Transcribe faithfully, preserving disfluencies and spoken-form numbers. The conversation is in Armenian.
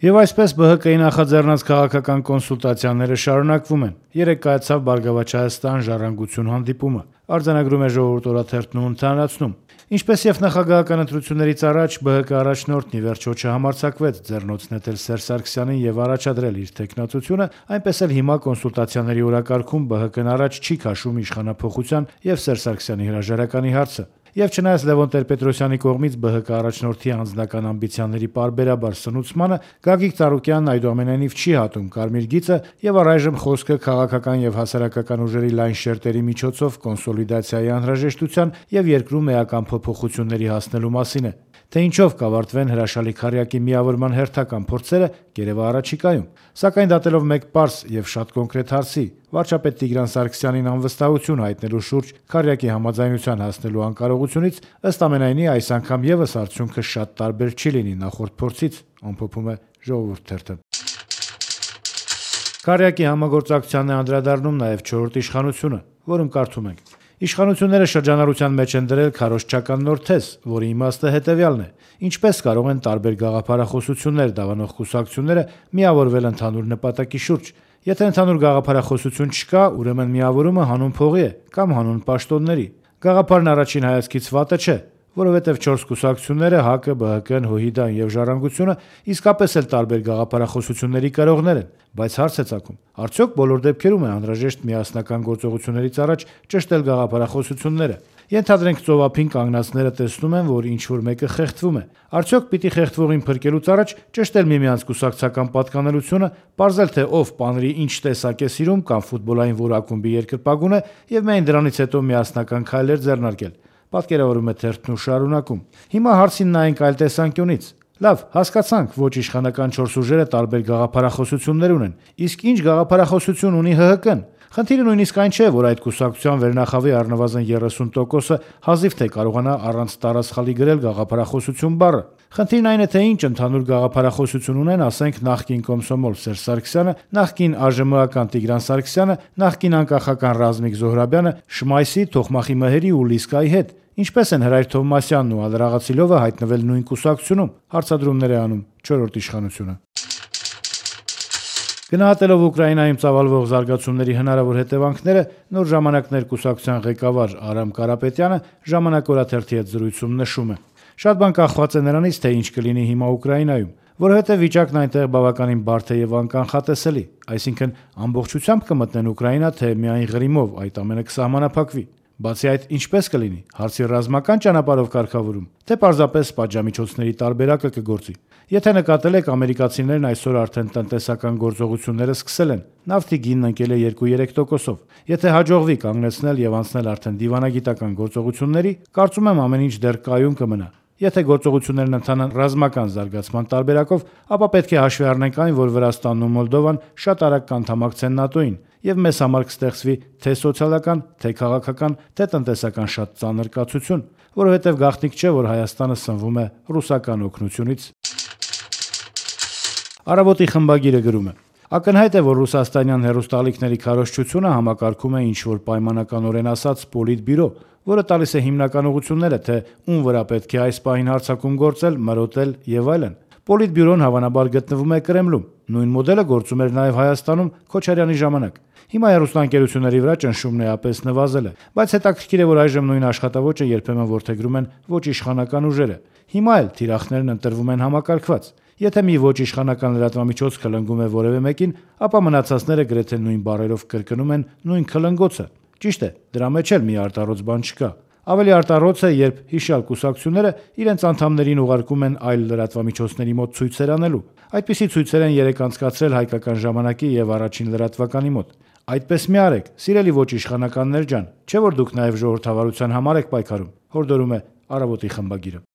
Եվ այսպես Բ Հ Կ-ի նախաձեռնած քաղաքական կոնսուլտացիաները շարունակվում են։ Երեկ կայացավ Բարգավաճ Հայաստան ժառանգություն հանդիպումը։ Արձանագրում է Ժողովուրդ օրաթերթն ու ընդհանրացնում. Ինչպես եւ նախագահական ընտրություններից առաջ Բ Հ Կ առաջնորդն ի վերջո չհամարձակվեց ձեռնոց նետել Սերժ Սարգսյանին եւ առաջադրել իր թեկնածությունը, այնպես էլ հիմա կոնսուլտացիաների օրակարգում Բ Հ Կ-ն առաջ չի քաշում իշխանափոխության եւ Սերժ Սարգսյանի հրաժարականի հարցը։ Եվ չնայած Լևոն Տեր-Պետրոսյանի կողմից Բ Հ Կ առաջնորդի անձնական ամբիցիաների պարբերաբար սնուցմանը Գագիկ Ծառուկյանն այդուամենայնիվ չի հատում կարմիր գիծը եւ առայժմ խոսքը քաղաքական եւ հասարակական ուժերի լայն շերտերի միջոցով կոնսոլիդացիայի անհրաժեշտության եւ երկրում էական փոփոխությունների հասնելու մասին է։ Թե ինչով կավարտվեն հրաշալի քառյակի միավորման հերթական փորձերը գերեւա առաջիկայում։ Սակայն դատելով մեկ պարզ եւ շատ կոնկրետ հարցի՝ վարչապետ Տիգրան Սարգսյանին անվստահություն հայտնելու շուրջ քառյակի համաձայնության հասնելու անկարողությունից, ըստ ամենայնի այս անգամ եւս արդյունքը շատ տարբեր չի լինի նախորդ փորձից, ամփոփում է Ժողովուրդ թերթը։ Քառյակի համագործակցությանն է անդրադառնում նաեւ չորրորդ իշխանությունը, որում կարդում ենք. Իշխանությունները շրջանառության մեջ են դրել քարոզչական նոր թեզ, որի իմաստը հետևյալն է. ինչպես կարող են տարբեր գաղափարախոսություններ դավանող կուսակցությունները միավորվել ընդհանուր նպատակի շուրջ։ Եթե ընդհանուր գաղափարախոսություն չկա, ուրեմն միավորումը հանուն փողի է կամ հանուն պաշտոնների։ Գաղափարն առաջին հայացքից վատը չէ, որովհետև չորս կուսակցությունները Հ Կ, Բ Հ Կ-ն, ՀՅԴ-ն եւ Ժառանգությունը իսկապես էլ տարբեր գաղափարախոսությունների կրողներ են, բայց հարց է ծագում. արդյոք բոլոր դեպքերում է անհրաժեշտ միասնական գործողություններից առաջ ճշտել գաղափարախոսությունները։ Ենթադրենք ծովափին կանգնածները տեսնում են, որ ինչ-որ մեկը խեղդվում է։ Արդյոք պիտի խեղդվողին փրկելուց առաջ ճշտել միմյանց կուսակցական պատկանելությունը, պարզել թե ով պանրի ինչ տեսակ է սիրում կամ ֆուտբոլային որ ակումբի երկրպագուն է եւ միայն դրանից հետո միասնական քայլեր ձեռնարկել։ Պատկերավորում է թերթն ու շարունակում. Հիմա հարցին նայենք այլ տեսանկյունից։ Լավ, հասկացանք, ոչ իշխանական չորս ուժերը տարբեր գաղափարախոսություններ ունեն, իսկ ինչ գաղափարախոսություն ունի Հ Հ Կ-ն։ Խնդիրը նույնիսկ այն չէ, որ այդ կուսակցության վերնախավի առնվազն երեսուն տոկոսը հազիվ թե կարողանա առանց տարասխալի գրել գաղափարախոսություն բառը։ Խնդիրն այն է, թե ինչ ընդհանուր գաղափարախոսություն ունեն, ասենք, նախկին կոմսոմոլ Սերժ Սարգսյանը, նախկին Ա Ժ Մ-ական Տիգրան Սարգսյանը, նախկին անկախական Ռազմիկ Զոհրաբյանը, Շմայսի, Թոխմախի Մհերի ու Լիսկայի հետ։ Ինչպես են Հրայր Թովմասյանն ու Ալրաղացիլովը հայտնվել նույն կուսակցությունում, հարցադրումներ է անում չորրորդ իշխանությունը։ Գնահատելով Ուկրաինայում ծավալվող զարգացումների հնարավոր հետևանքները, Նոր ժամանակներ կուսակցության ղեկավար Արամ Կարապետյանը Ժամանակ օրաթերթի հետ զրույցում նշում է. Շատ բան կախված է նրանից, թե ինչ կլինի հիմա Ուկրաինայում, որովհետև վիճակն այնտեղ բավականին բարդ է եւ անկանխատեսելի, այսինքն ամբողջությամբ կմտնեն Ուկրաինա, թե միայն Ղրիմով այդ ամենը կսահմանափակվի։ Բացի այդ, ինչպես կլինի, հարցի ռազմական ճանապարհով կարգավորում, թե պարզապես պատժամիջոցների տարբերակը կգործի։ Եթե նկատել եք, ամերիկացիներն այսօր արդեն տնտեսական գործողությունները սկսել են, նավթի գինն ընկել է երկու-երեք տոկոսով։ Եթե հաջողվի կանգնեցնել եւ անցնել արդեն դիվանագիտական գործողությունների, կարծում եմ ամեն ինչ դեռ կայուն կմնա։ Եթե գործողություններն ընթանան ռազմական զարգացման տարբերակով, ապա պետք է հաշվի առնենք այն, որ Վրաստանն ու Մոլդովան շատ արագ կանդամակցեն ՆԱՏՕ-ին, եւ մեզ համար կստեղծվի թե սոցիալական, թե քաղաքական, թե տնտեսական շատ ծանր կացություն, որովհետեւ գաղտնիք չէ, որ Հայաստանը սնվում է ռուսական օգնությունից։ Առավոտի խմբագիրը գրում է. Ակնհայտ է, որ ռուսաստանյան հեռուստաալիքների քարոզչությունը համակարգում է ինչ-որ պայմանականորեն ասած Պոլիտբյուրո, որը տալիս է հիմնական ուղղությունները, թե ում վրա պետք է այս պահին հարձակում գործել, մրոտել եւ այլն։ Պոլիտբյուրոն հավանաբար գտնվում է Կրեմլում։ Նույն մոդելը գործում էր նաեւ Հայաստանում Քոչարյանի ժամանակ։ Հիմա հեռուստաընկերությունների վրա ճնշումն էապես նվազել է, բայց հետաքրքիր է, որ այժմ նույն աշխատավոճը երբեմն որդեգրում են ոչ իշխանական ուժերը։ Հիմա էլ թիրախներն ընտրվում են համակարգված։ Եթե մի ոչ իշխանական լրատվամիջոց քլնգում է որևէ մեկին, ապա մնացածները գրեթե նույն բառերով կրկնում են նույն քլնգոցը։ Ճիշտ է, դրա մեջ էլ մի արտառոց բան չկա։ Ավելի արտառոց է, երբ հիշյալ կուսակցությունները իրենց անդամներին ուղարկում են այլ լրատվամիջոցների մոտ ցույցեր անելու։ Այդպիսի ցույցեր են երեք անցկացրել Հայկական ժամանակի եւ Առաջին լրատվականի մոտ։ Այդպես մի արեք, սիրելի ոչ իշխանականներ ջան, չէ՞ որ դուք նաև ժողովրդավարության համար եք պայքարում, հորդորում է Առավոտի խմբագիրը։